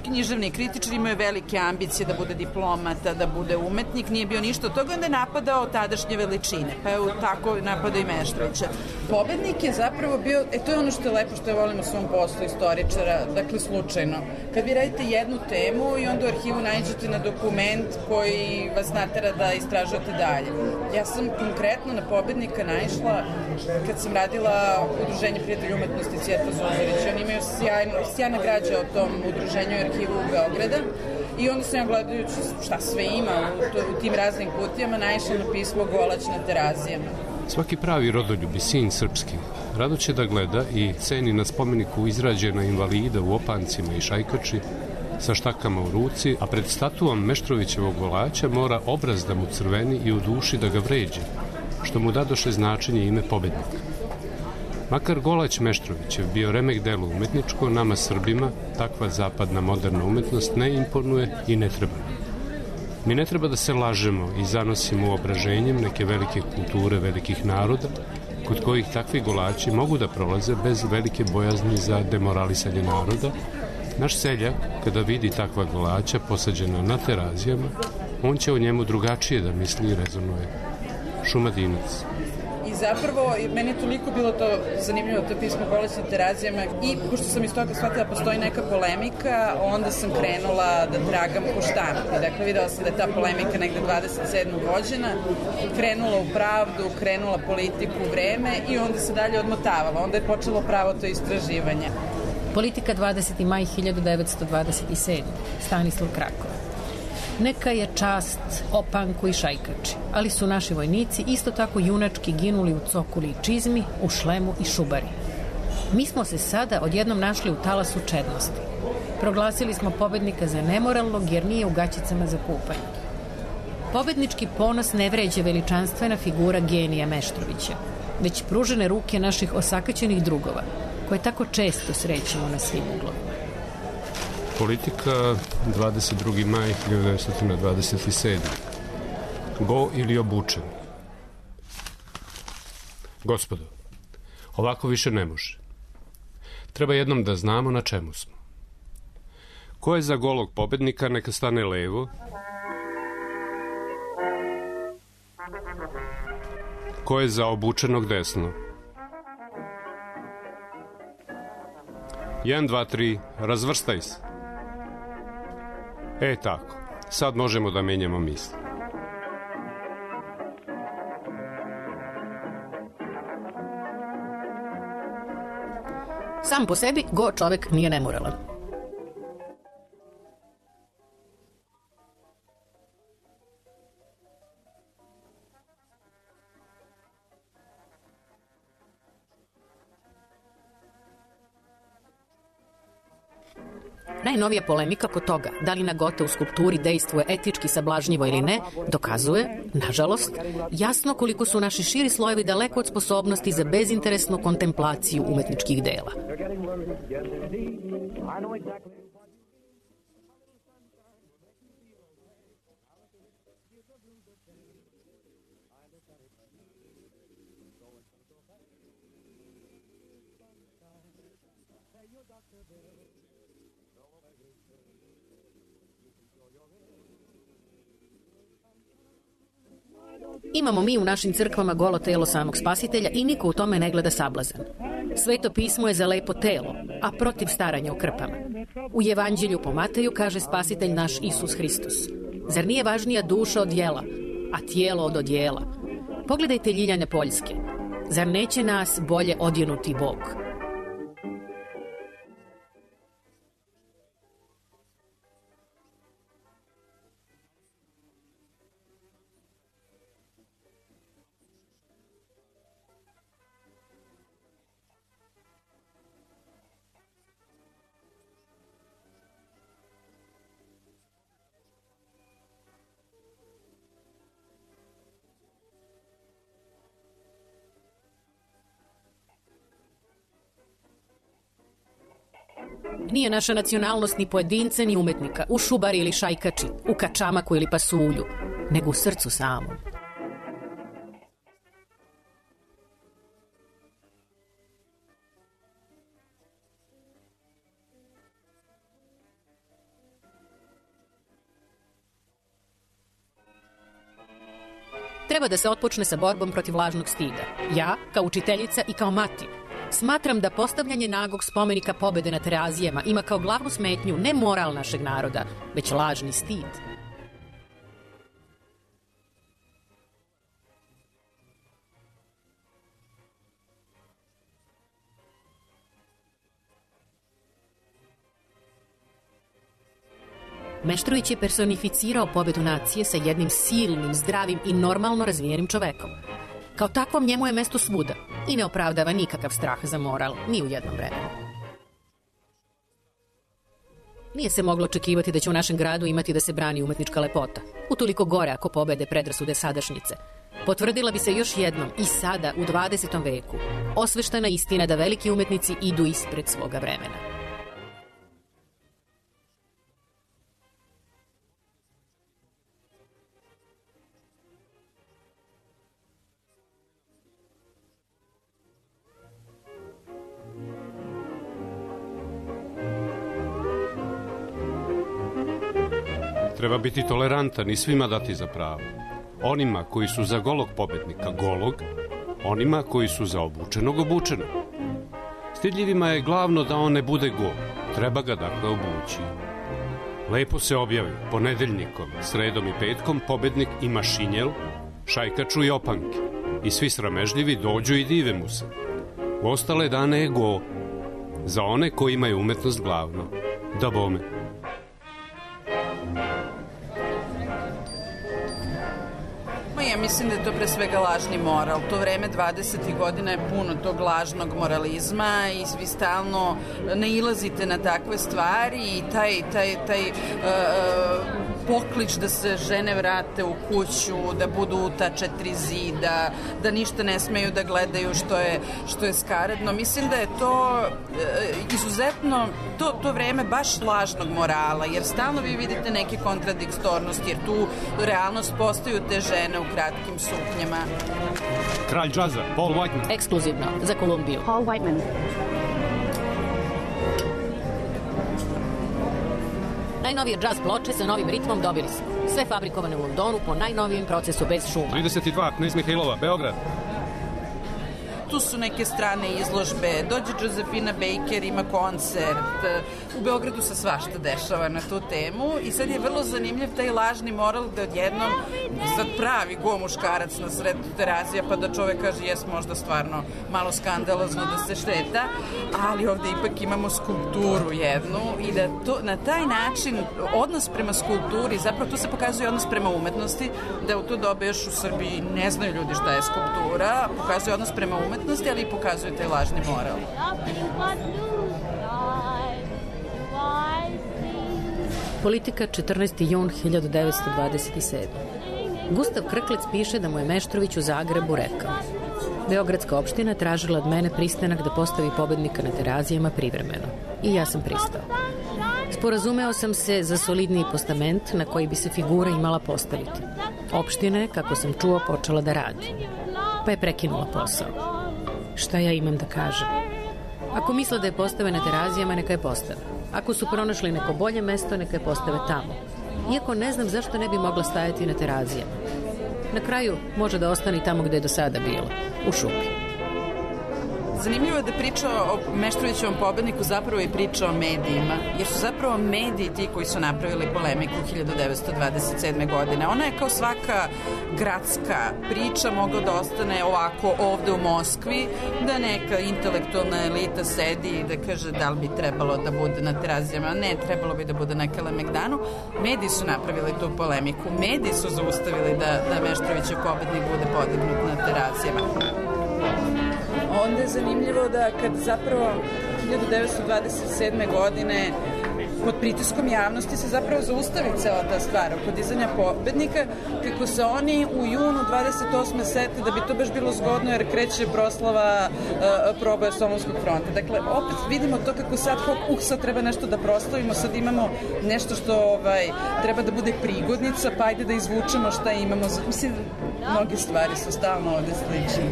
književni kritičar, imao je velike ambicije da bude diplomata, da bude umetnik, nije bio ništa od toga, onda je napadao tadašnje veličine, pa je tako napadao i Meštrovića. Pobednik je zapravo bio, e to je ono što je lepo, što je volim u svom poslu istoričara, dakle slučajno. Kad vi radite jednu temu i onda u arhivu nađete na dokument koji vas natera da istražujete dalje. Ja sam konkretno na pobednika naišla kad sam radila udruženje prijatelja umetnosti Cvijeta Zuzorić. Oni imaju sjajno, sjajna građa o tom udruženju arhivu u Beograda i onda sam ja gledajući šta sve ima u, to, u tim raznim kutijama naišla na pismo Golać na Terazijama. Svaki pravi rodoljub i sin srpski rado će da gleda i ceni na spomeniku izrađena invalida u opancima i šajkači sa štakama u ruci, a pred statuom Meštrovićevog Golaća mora obraz da mu crveni i u duši da ga vređe, što mu dadoše značenje ime pobednika. Makar Golać Meštrovićev bio remek delo umetničko, nama Srbima takva zapadna moderna umetnost ne imponuje i ne treba. Mi ne treba da se lažemo i zanosimo uobraženjem neke velike kulture velikih naroda, kod kojih takvi gulači mogu da prolaze bez velike bojazni za demoralisanje naroda, naš seljak, kada vidi takva gulača posađena na terazijama, on će o njemu drugačije da misli i rezonuje. Šumadinac. I zapravo, meni je toliko bilo to zanimljivo, to pismo Bolest na terazijama, i pošto sam iz toga shvatila da postoji neka polemika, onda sam krenula da tragam po štampi. Dakle, videla sam da je ta polemika negde dvadeset sedmog vođena, krenula u pravdu, krenula politiku, vreme i onda se dalje odmotavala. Onda je počelo pravo to istraživanje. Politika dvadeseti maj hiljadu devetsto dvadeset sedme. Stanislav Krakov. Neka je čast opanku i šajkači, ali su naši vojnici isto tako junački ginuli u cokuli i čizmi, u šlemu i šubari. Mi smo se sada odjednom našli u talasu čednosti. Proglasili smo pobednika za nemoralnog jer nije u gaćicama za kupanje. Pobednički ponos ne vređe veličanstvena figura genija Meštrovića, već pružene ruke naših osakaćenih drugova, koje tako često srećemo na svim uglovima. Politika dvadeset drugi maj hiljadu devetsto dvadeset sedme. Go ili obučen. Gospodo, ovako više ne može. Treba jednom da znamo na čemu smo. Ko je za golog pobednika, neka stane levo. Ko je za obučenog, desno. Jedan, dva, tri, razvrstaj se. E tako, sad možemo da menjamo misli. Sam po sebi go čovek nije nemoralan. Najnovija polemika kod toga, da li nagota u skulpturi dejstvuje etički sablažnjivo ili ne, dokazuje, nažalost, jasno koliko su naši širi slojevi daleko od sposobnosti za bezinteresnu kontemplaciju umetničkih dela. Imamo mi u našim crkvama golo telo samog spasitelja i niko u tome ne gleda sablazan. Sveto pismo je za lepo telo, a protiv staranja o krpama. U Evanđelju po Mateju kaže spasitelj naš Isus Hristos. Zar nije važnija duša od jela, a tijelo od odjela? Pogledajte Ljiljane Poljske. Zar neće nas bolje odjenuti Bog? Nije naša nacionalnost ni pojedinca ni umetnika, u šubari ili šajkači, u kačamaku ili pasulju, nego u srcu samom. Treba da se otpočne sa borbom protiv lažnog stida. Ja, kao učiteljica i kao mati, smatram da postavljanje nagog spomenika pobede na Terazijama ima kao glavnu smetnju ne moral našeg naroda, već lažni stid. Meštrović je personificirao pobedu nacije sa jednim silnim, zdravim i normalno razvijenim čovekom. Kao takvom njemu je mesto svuda i ne opravdava nikakav strah za moral, ni u jednom vremenu. Nije se moglo očekivati da će u našem gradu imati da se brani umetnička lepota. Utoliko gore ako pobede predrasude sadašnjice. Potvrdila bi se još jednom i sada u dvadesetom veku osveštena istina da veliki umetnici idu ispred svoga vremena. treba biti tolerantan i svima dati za pravo. Onima koji su za golog pobednika golog, onima koji su za obučenog obučenog. Stidljivima je glavno da on ne bude go, treba ga dakle obući. Lepo se objavi, ponedeljnikom, sredom i petkom pobednik ima šinjel, šajkaču i opanke. I svi sramežljivi dođu i dive mu se. U ostale dane je go, za one koji imaju umetnost glavno. Da bome. Ja mislim da je to pre svega lažni moral. To vreme dvadesetih godina je puno tog lažnog moralizma i vi stalno nailazite na takve stvari i taj, taj, taj uh, poklič da se žene vrate u kuću, da budu u ta četiri zida, da ništa ne smeju da gledaju što je, što je skaredno. Mislim da je to uh, izuzetno, to, to vreme baš lažnog morala, jer stalno vi vidite neke kontradiktornosti, jer tu realnost postaju te žene u kratkim suknjama. Kralj džaza, Paul Whiteman. Ekskluzivno, za Kolumbiju. Paul Whiteman. Najnovije džaz ploče sa novim ritmom dobili smo. Sve fabrikovane u Londonu po najnovijem procesu bez šuma. trideset dva, Knez Mihailova, Beograd. Tu su neke strane izložbe, dođe Josefina Baker, ima koncert, u Beogradu se svašta dešava na tu temu i sad je vrlo zanimljiv taj lažni moral da odjednom sad pravi go muškarac na sred Terazija pa da čovek kaže jes možda stvarno malo skandalozno da se šteta, ali ovde ipak imamo skulpturu jednu i da to, na taj način odnos prema skulpturi, zapravo tu se pokazuje odnos prema umetnosti, da u to dobe još u Srbiji ne znaju ljudi šta je skulptura, pokazuje odnos prema umetnosti, ali i pokazuje taj lažni moral. Politika, četrnaesti jun hiljadu devetsto dvadeset sedme. Gustav Krklec piše da mu je Meštrović u Zagrebu rekao: Beogradska opština tražila od mene pristanak da postavi pobednika na Terazijama privremeno. I ja sam pristao. Sporazumeo sam se za solidniji postament na koji bi se figura imala postaviti. Opština je, kako sam čuo, počela da radi. Pa je prekinula posao. Šta ja imam da kažem? Ako misle da je postave na Terazijama, neka je postave. Ako su pronašli neko bolje mesto, neka je postave tamo. Iako ne znam zašto ne bi mogla stajati na Terazijama. Na kraju može da ostane tamo gde je do sada bilo, u šupi. Zanimljivo je da priča o Meštrovićevom pobedniku zapravo i priča o medijima, jer su zapravo mediji ti koji su napravili polemiku hiljadu devetsto dvadeset sedme. godine. Ona je kao svaka gradska priča mogla da ostane ovako ovde u Moskvi, da neka intelektualna elita sedi i da kaže da li bi trebalo da bude na Terazijama, ne, trebalo bi da bude na Kalemegdanu. Mediji su napravili tu polemiku, mediji su zaustavili da, da Meštrovićev pobednik bude podignut na Terazijama. Onda je zanimljivo da kad zapravo hiljadu devetsto dvadeset sedme. godine pod pritiskom javnosti se zapravo zaustavi cela ta stvar oko dizanja pobednika, kako se oni u junu dvadeset osme sete da bi to baš bilo zgodno jer kreće proslava uh, proboja Solunskog fronta. Dakle, opet vidimo to kako sad, uh, sad treba nešto da proslavimo, sad imamo nešto što ovaj, treba da bude prigodnica, pa ajde da izvučemo šta imamo. Mislim, mnoge stvari su stalno ovde slične.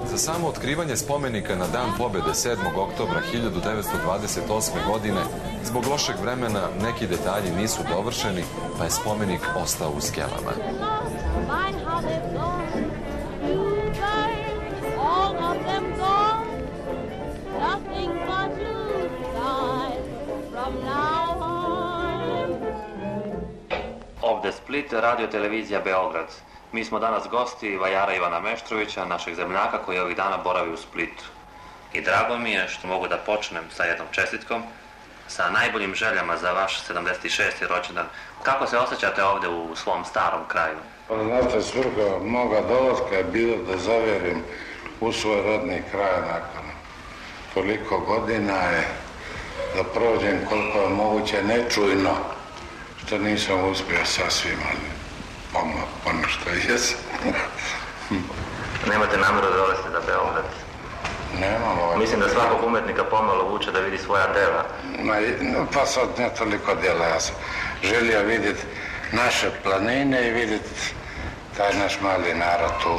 Za samo otkrivanje spomenika na Dan pobede sedmog oktobra hiljadu devetsto dvadeset osme. godine zbog lošeg vremena neki detalji nisu dovršeni, pa je spomenik ostao u skelama. Ovde Split, radio televizija Beograd. Mi smo danas gosti vajara Ivana Meštrovića, našeg zemljaka koji ovih dana boravi u Splitu. I drago mi je što mogu da počnem sa jednom čestitkom, sa najboljim željama za vaš sedamdeset šesti. rođendan. Kako se osjećate ovde u svom starom kraju? Pa znate, svrha moga dolaska je bilo da zaverim u svoj rodni kraj nakon toliko godina je da prođem koliko je moguće nečujno, što nisam uspio sasvim, ali Ono, ono što jesam. Nemate nameru da dolazite za Beograd? Nemam ovaj... Mislim da svakog umetnika pomalo vuče da vidi svoja dela. Ma, no, pa sad ne toliko dela. Ja sam želio vidjeti naše planine i vidjeti taj naš mali narod tu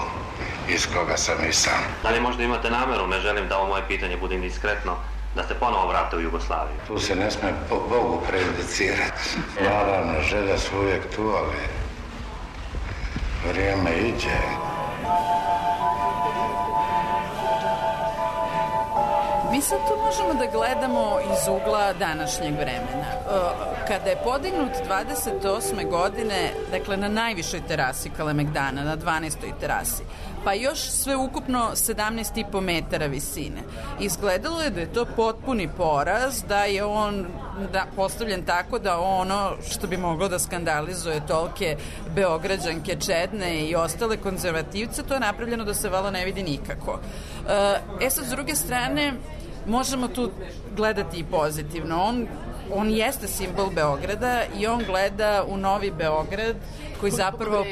iz koga sam i sam. Da li možda imate nameru, ne želim da ovo moje pitanje bude indiskretno, da se ponovo vrate u Jugoslaviju? Tu se ne sme po Bogu prejudicirati. Naravno, želja su uvijek tu, ali vrijeme iđe. Mi sad tu možemo da gledamo iz ugla današnjeg vremena. Kada je podignut dvadeset osme godine, dakle na najvišoj terasi Kalemegdana, na dvanaestoj terasi, pa još sve ukupno sedamnaest i po metara visine. Izgledalo je da je to potpuni poraz, da je on da, postavljen tako da ono što bi moglo da skandalizuje tolke Beograđanke čedne i ostale konzervativce, to je napravljeno da se vala ne vidi nikako. E sad, s druge strane, možemo tu gledati i pozitivno. On, on jeste simbol Beograda i on gleda u novi Beograd koji zapravo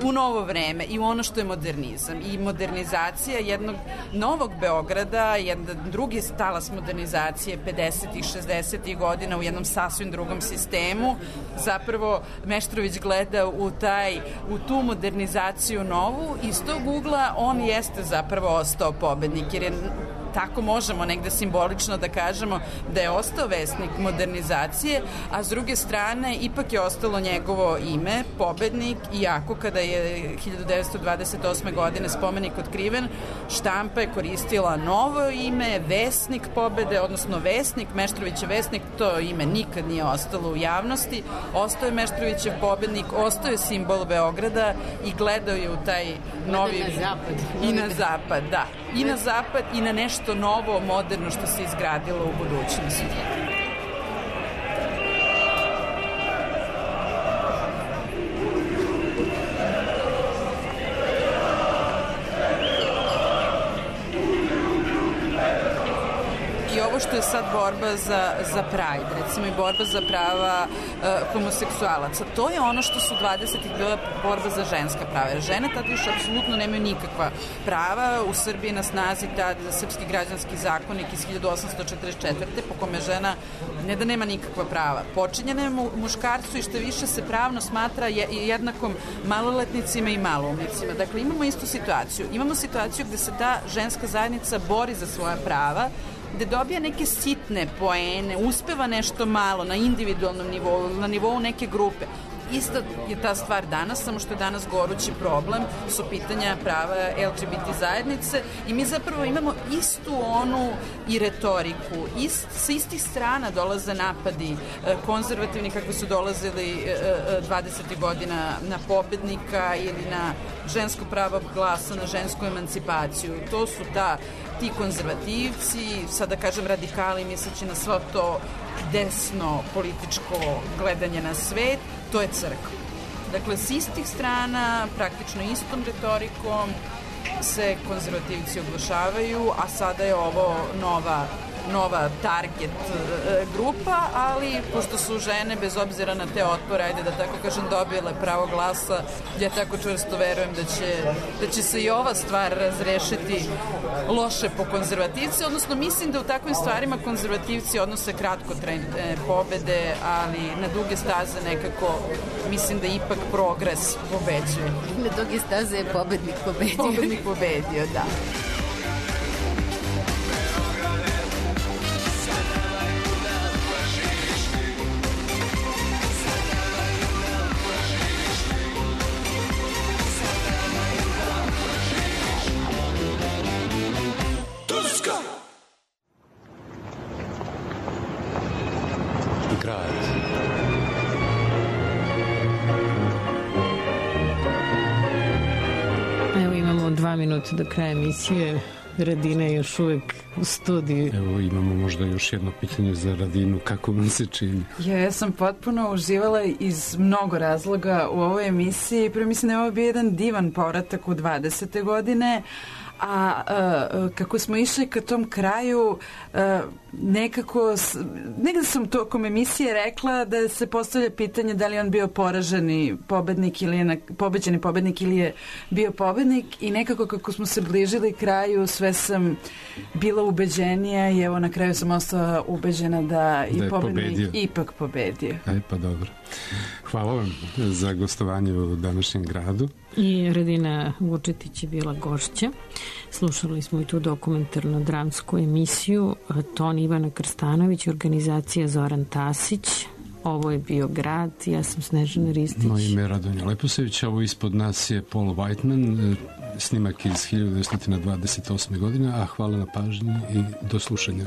u novo vreme i u ono što je modernizam i modernizacija jednog novog Beograda, jedan drugi talas modernizacije pedesetih, šezdesetih godina u jednom sasvim drugom sistemu. Zapravo Meštrović gleda u taj u tu modernizaciju novu i iz tog ugla on jeste zapravo ostao pobednik, jer je tako možemo negde simbolično da kažemo da je ostao vesnik modernizacije, a s druge strane ipak je ostalo njegovo ime, pobednik, iako kada je hiljadu devetsto dvadeset osme godine spomenik otkriven, štampa je koristila novo ime, vesnik pobede, odnosno vesnik, Meštrovićev vesnik, to ime nikad nije ostalo u javnosti, ostao je Meštrovićev pobednik, ostao je simbol Beograda i gledao je u taj novi... Na zapad. I na zapad, da. I na zapad i na nešto novo, moderno što se izgradilo u budućnosti. I ovo što je sad borba za, za Pride, recimo i borba za prava uh, homoseksualaca, to je ono što su dvadesetih bila borba za ženska prava. Jer žene tada još apsolutno nemaju nikakva prava. U Srbiji na snazi tad Srpski građanski zakonik iz hiljadu osamsto četrdeset četvrte po kome žena ne da nema nikakva prava. Počinjena je mu, muškarcu i što više se pravno smatra je, jednakom maloletnicima i maloumnicima. Dakle, imamo istu situaciju. Imamo situaciju gde se ta ženska zajednica bori za svoja prava, gde dobija neke sitne poene, uspeva nešto malo na individualnom nivou, na nivou neke grupe. Isto je ta stvar danas, samo što je danas gorući problem, su pitanja prava L G B T zajednice i mi zapravo imamo istu onu i retoriku. Ist, sa istih strana dolaze napadi konzervativni kako su dolazili dvadesetih godina na pobednika ili na žensko pravo glasa, na žensku emancipaciju. To su ta, ti konzervativci, sada kažem radikali, misleći na svo to desno političko gledanje na svet, to je crkva. Dakle, s istih strana, praktično istom retorikom se konzervativci oglašavaju, a sada je ovo nova nova target e, grupa, ali pošto su žene, bez obzira na te otpore, ajde da tako kažem, dobile pravo glasa, ja tako čvrsto verujem da će, da će se i ova stvar razrešiti loše po konzervativci, odnosno mislim da u takvim stvarima konzervativci odnose kratko trend e, pobede, ali na duge staze nekako mislim da ipak progres pobeđuje. Na duge staze je pobednik pobedio. Pobednik pobedio, da. Evo imamo dva minuta do kraja emisije. Radina je još uvek u studiju. Evo imamo možda još jedno pitanje za Radinu, kako vam se čini? Ja, ja sam potpuno uživala iz mnogo razloga u ovoj emisiji. Prvo mislim da je ovo bio jedan divan povratak u dvadesete godine, a uh, kako smo išli ka tom kraju, uh, nekako, negde sam tokom emisije rekla da se postavlja pitanje da li on bio poraženi pobednik ili je na, pobeđeni pobednik ili je bio pobednik i nekako kako smo se bližili kraju sve sve sam bila ubeđenija i evo na kraju sam ostala ubeđena da i da pobednik ipak pobedio. Aj pa dobro. Hvala vam za gostovanje u današnjem gradu. I Radina Vučetić je bila gošća. Slušali smo i tu dokumentarno dramsku emisiju. Ton Ivana Krstanović, organizacija Zoran Tasić. Ovo je bio grad, ja sam Snežana Ristić. Moje ime je Radonja Leposević, ovo ispod nas je Paul Whiteman, snimak iz hiljadu devetsto dvadeset osme. godine, a hvala na pažnji i do slušanja.